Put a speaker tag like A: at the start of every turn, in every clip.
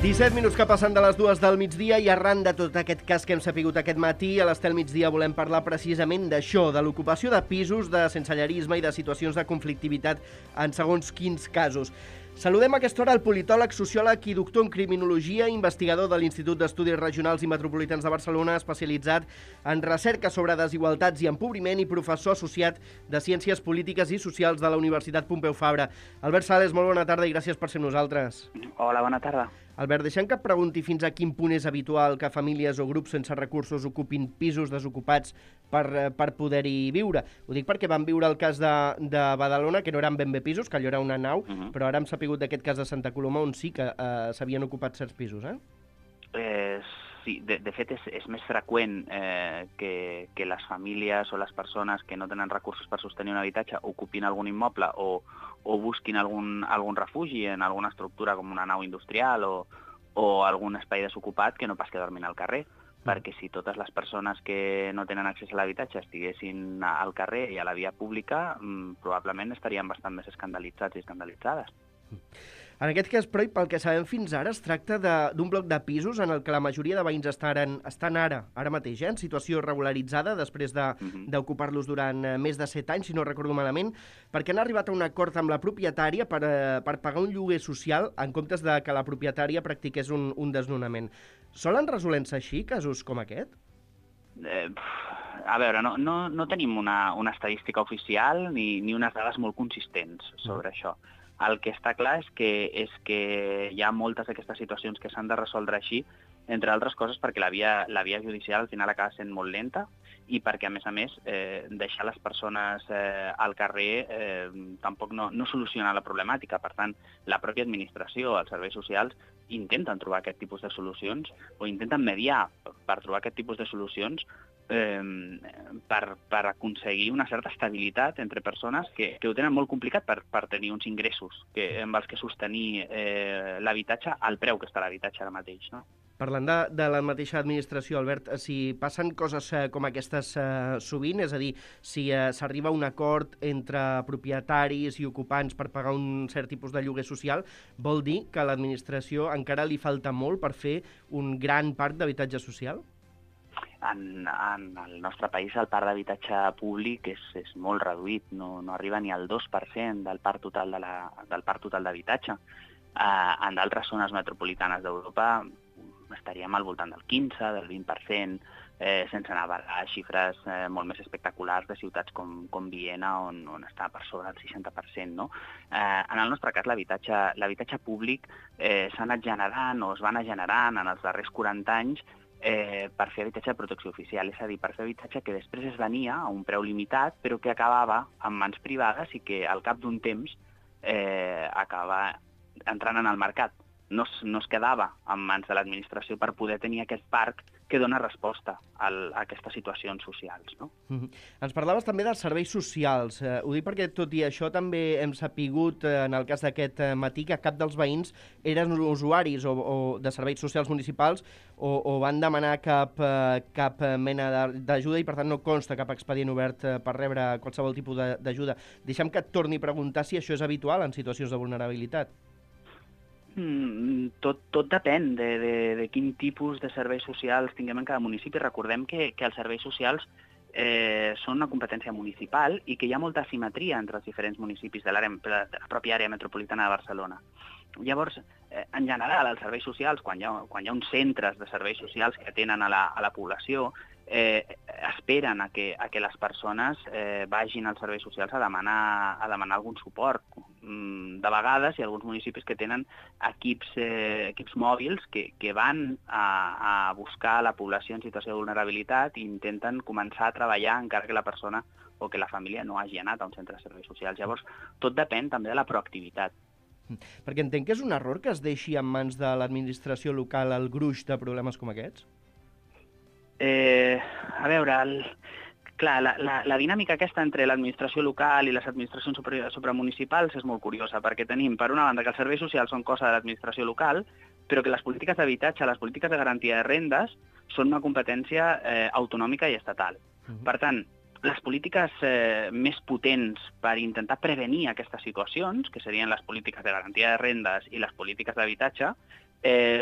A: 17 minuts que passen de les 2 del migdia i arran de tot aquest cas que hem sapigut aquest matí, a l'Estel Migdia volem parlar precisament d'això, de l'ocupació de pisos, de sensellerisme i de situacions de conflictivitat en segons quins casos. Saludem a aquesta hora el politòleg, sociòleg i doctor en criminologia, investigador de l'Institut d'Estudis Regionals i Metropolitans de Barcelona, especialitzat en recerca sobre desigualtats i empobriment i professor associat de Ciències Polítiques i Socials de la Universitat Pompeu Fabra. Albert Sales, molt bona tarda i gràcies per ser amb nosaltres.
B: Hola, bona tarda.
A: Albert, deixem que et pregunti fins a quin punt és habitual que famílies o grups sense recursos ocupin pisos desocupats per poder-hi viure. Ho dic perquè vam viure el cas de Badalona, que no eren ben bé pisos, que allò era una nau, però ara hem sapigut d'aquest cas de Santa Coloma, on sí que s'havien ocupat certs pisos,
B: Sí, de fet és més freqüent que les famílies o les persones que no tenen recursos per sostenir un habitatge ocupin algun immoble o busquin algun refugi en alguna estructura com una nau industrial o algun espai desocupat que no pas que dormin al carrer. Perquè si totes les persones que no tenen accés a l'habitatge estiguessin al carrer i a la via pública, probablement estarien bastant més escandalitzats i escandalitzades.
A: En aquest cas, però, i pel que sabem fins ara, es tracta d'un bloc de pisos en el que la majoria de veïns estan ara mateix, en situació regularitzada, després d'ocupar-los durant més de 7 anys, si no recordo malament, perquè han arribat a un acord amb la propietària per pagar un lloguer social en comptes de que la propietària practiqués un desnonament. Solen resoler-se així, casos com aquest?
B: A veure, no tenim una estadística oficial ni unes dades molt consistents sobre això. El que està clar és que hi ha moltes d'aquestes situacions que s'han de resoldre així, entre altres coses perquè la via judicial al final acaba sent molt lenta i perquè, a més, deixar les persones al carrer tampoc no soluciona la problemàtica. Per tant, la pròpia administració, els serveis socials, intenten trobar aquest tipus de solucions o intenten mediar per trobar aquest tipus de solucions per aconseguir una certa estabilitat entre persones que ho tenen molt complicat per tenir uns ingressos amb els que sostenir l'habitatge al preu que està l'habitatge ara mateix, no?
A: Parlant de la mateixa administració, Albert, si passen coses com aquestes sovint, és a dir, si s'arriba a un acord entre propietaris i ocupants per pagar un cert tipus de lloguer social, vol dir que a l'administració encara li falta molt per fer un gran parc d'habitatge social?
B: En el nostre país el parc d'habitatge públic és molt reduït, no arriba ni al 2% del parc total d'habitatge. En d'altres zones metropolitanes d'Europa estaríem al voltant del 15, del 20%, sense anar a xifres molt més espectaculars de ciutats com Viena, on està per sobre del 60%. No? En el nostre cas, l'habitatge públic s'ha anat generant o es va anar generant en els darrers 40 anys per fer habitatge de protecció oficial, és a dir, per fer habitatge que després es venia a un preu limitat, però que acabava en mans privades i que al cap d'un temps acaba entrant en el mercat. No es quedava en mans de l'administració per poder tenir aquest parc que dona resposta a aquestes situacions socials. No?
A: Ens parlaves també dels serveis socials. Ho dic perquè, tot i això, també hem sapigut, en el cas d'aquest matí, que cap dels veïns eren usuaris o de serveis socials municipals o van demanar cap mena d'ajuda i, per tant, no consta cap expedient obert per rebre qualsevol tipus d'ajuda. Deixa'm que et torni a preguntar si això és habitual en situacions de vulnerabilitat.
B: Tot depèn de quin tipus de serveis socials tinguem en cada municipi. Recordem que els serveis socials són una competència municipal i que hi ha molta asimetria entre els diferents municipis de la pròpia àrea metropolitana de Barcelona. Llavors, en general, els serveis socials, quan hi ha uns centres de serveis socials que atenen a la població, esperen a que les persones vagin als serveis socials a demanar algun suport. De vegades hi ha alguns municipis que tenen equips mòbils que van a buscar la població en situació de vulnerabilitat i intenten començar a treballar encara que la persona o que la família no hagi anat a un centre de serveis socials. Llavors, tot depèn també de la proactivitat.
A: Perquè entenc que és un error que es deixi en mans de l'administració local el gruix de problemes com aquests?
B: A veure, clar, la dinàmica aquesta entre l'administració local i les administracions supramunicipals és molt curiosa, perquè tenim, per una banda, que els serveis socials són cosa de l'administració local, però que les polítiques d'habitatge, les polítiques de garantia de rendes, són una competència autonòmica i estatal. Per tant, les polítiques més potents per intentar prevenir aquestes situacions, que serien les polítiques de garantia de rendes i les polítiques d'habitatge,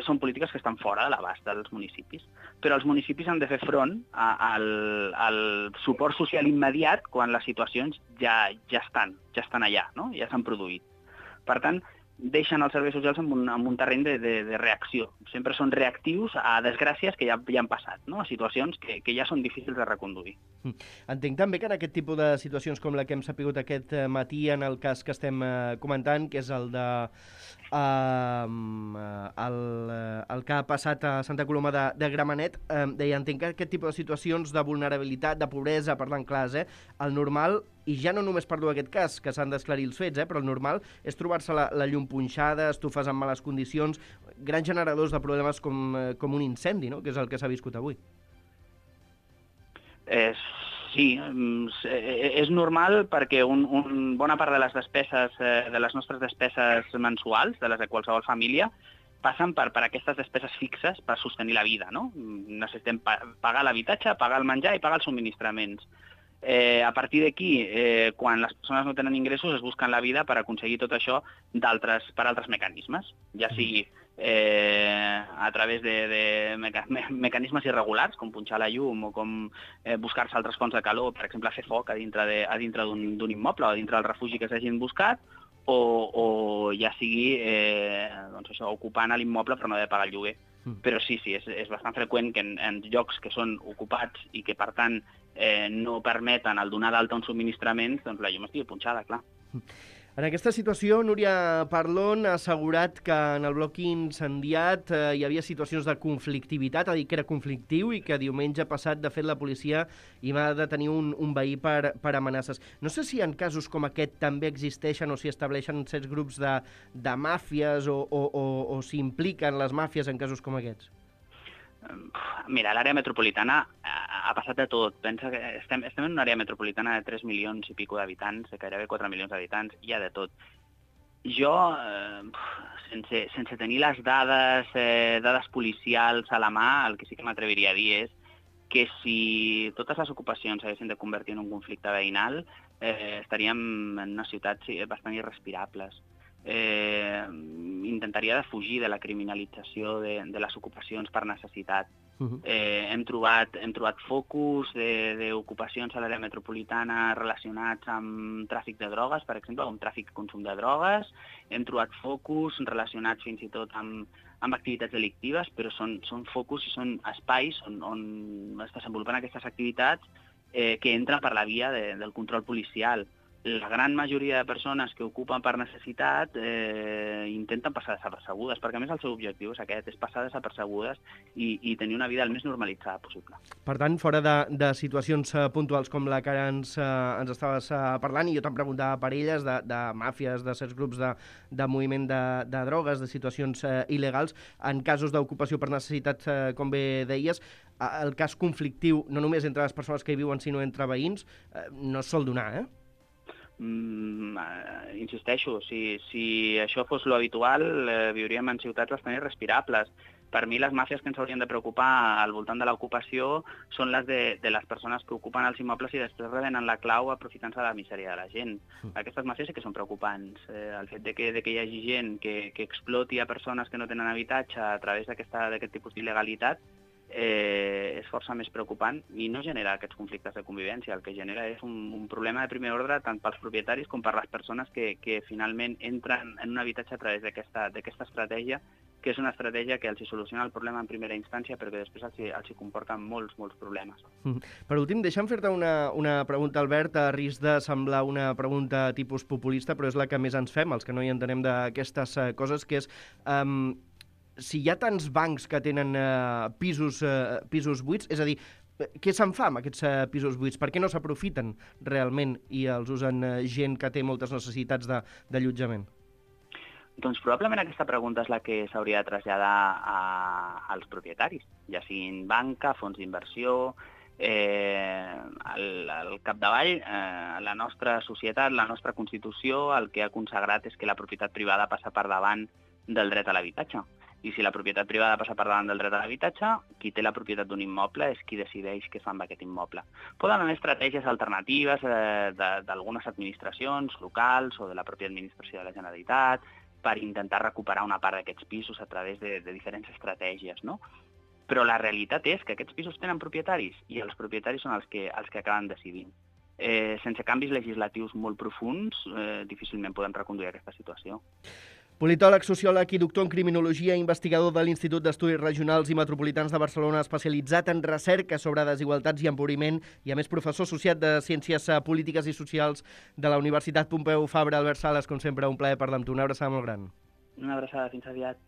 B: són polítiques que estan fora de l'abast dels municipis. Però els municipis han de fer front al suport social immediat quan les situacions ja estan allà, no? Ja s'han produït. Per tant, deixen els serveis socials en un terreny de reacció. Sempre són reactius a desgràcies que ja han passat, no? A situacions que ja són difícils de reconduir.
A: Entenc també que en aquest tipus de situacions com la que hem sapigut aquest matí, en el cas que estem comentant, que és el de el que ha passat a Santa Coloma de Gramenet, deia, entenc que aquest tipus de situacions de vulnerabilitat, de pobresa, parlant clars, el normal, i ja no només parlo d'aquest cas, que s'han d'esclarir els fets, però el normal és trobar-se la llum punxada, estufes en males condicions, grans generadors de problemes com un incendi, no? Que és el que s'ha viscut avui.
B: Sí, és normal perquè bona part de les despeses, de les nostres despeses mensuals, de les de qualsevol família, passen per aquestes despeses fixes per sostenir la vida, no? Necessitem pagar l'habitatge, pagar el menjar i pagar els subministraments. A partir d'aquí, quan les persones no tenen ingressos, es busquen la vida per aconseguir tot això per altres mecanismes, ja sigui a través de mecanismes irregulars, com punxar la llum o com buscar-se altres fonts de calor, per exemple, fer foc a dintre d'un immoble o a dintre del refugi que s'hagin buscat, o ja sigui ocupant l'immoble però no haver de pagar el lloguer. Però sí, és bastant freqüent que en llocs que són ocupats i que, per tant, no permeten el donar d'alta uns subministraments, doncs la llum estigui punxada, clar.
A: En aquesta situació, Núria Parlon ha assegurat que en el bloc incendiat hi havia situacions de conflictivitat, ha dit que era conflictiu i que diumenge passat, de fet, la policia hi va detenir un veí per amenaces. No sé si en casos com aquest també existeixen o si estableixen certs grups de màfies o si impliquen les màfies en casos com aquests.
B: Mira, a l'àrea metropolitana ha passat de tot. Pensa que estem en una àrea metropolitana de 3 milions i pico d'habitants, de gairebé 4 milions d'habitants, hi ha de tot. Jo, sense tenir les dades policials a la mà, el que sí que m'atreviria a dir és que si totes les ocupacions s'haguessin de convertir en un conflicte veïnal, estaríem en unes ciutats bastant irrespirables. Intentaria defugir de la criminalització de les ocupacions per necessitat. Hem trobat focus d'ocupacions a l'àrea metropolitana relacionats amb tràfic de drogues, per exemple, amb tràfic i consum de drogues. Hem trobat focus relacionats fins i tot amb activitats delictives, però són focus i són espais on es desenvolupen aquestes activitats que entren per la via del control policial. La gran majoria de persones que ocupen per necessitat intenten passar desapercebudes, perquè a més el seu objectiu és aquest, és passar desapercebudes i tenir una vida el més normalitzada possible.
A: Per tant, fora de situacions puntuals com la que ara ens estaves parlant, i jo te'n preguntava per elles, de màfies, de certs grups de moviment de drogues, de situacions il·legals, en casos d'ocupació per necessitat, com bé deies, el cas conflictiu, no només entre les persones que hi viuen, sinó entre veïns, no es sol donar,
B: insisteixo, si això fos lo habitual, viuríem en ciutats bastant irrespirables. Per mi, les màfies que ens haurien de preocupar al voltant de l'ocupació són les de les persones que ocupen els immobles i després revenen la clau aprofitant-se de la misèria de la gent. Aquestes màfies sí que són preocupants. El fet de que hi hagi gent que exploti a persones que no tenen habitatge a través d'aquest tipus d'il·legalitat és força més preocupant i no genera aquests conflictes de convivència. El que genera és un problema de primer ordre tant pels propietaris com per les persones que finalment entren en un habitatge a través d'aquesta estratègia, que és una estratègia que els soluciona el problema en primera instància però que després els comporta molts problemes.
A: Per últim, deixa'm fer-te una pregunta, Albert, a risc de semblar una pregunta tipus populista, però és la que més ens fem, els que no hi entenem d'aquestes coses, que és si hi ha tants bancs que tenen pisos buits, és a dir, què se'n fa amb aquests pisos buits? Per què no s'aprofiten realment i els usen gent que té moltes necessitats d'allotjament?
B: Doncs probablement aquesta pregunta és la que s'hauria de traslladar als propietaris, ja siguin banca, fons d'inversió. Al capdavall, la nostra societat, la nostra Constitució, el que ha consagrat és que la propietat privada passa per davant del dret a l'habitatge. I si la propietat privada passa per davant del dret a l'habitatge, qui té la propietat d'un immoble és qui decideix què fa amb aquest immoble. Poden haver estratègies alternatives d'algunes administracions locals o de la pròpia administració de la Generalitat per intentar recuperar una part d'aquests pisos a través de diferents estratègies, no? Però la realitat és que aquests pisos tenen propietaris i els propietaris són els que acaben decidint. Sense canvis legislatius molt profunds, difícilment podem reconduir aquesta situació.
A: Politòleg, sociòleg i doctor en criminologia, investigador de l'Institut d'Estudis Regionals i Metropolitans de Barcelona, especialitzat en recerca sobre desigualtats i empobriment i, a més, professor associat de Ciències Polítiques i Socials de la Universitat Pompeu Fabra. Albert Sales, com sempre, un plaer parlar amb tu. Una abraçada molt gran.
B: Una abraçada, fins aviat.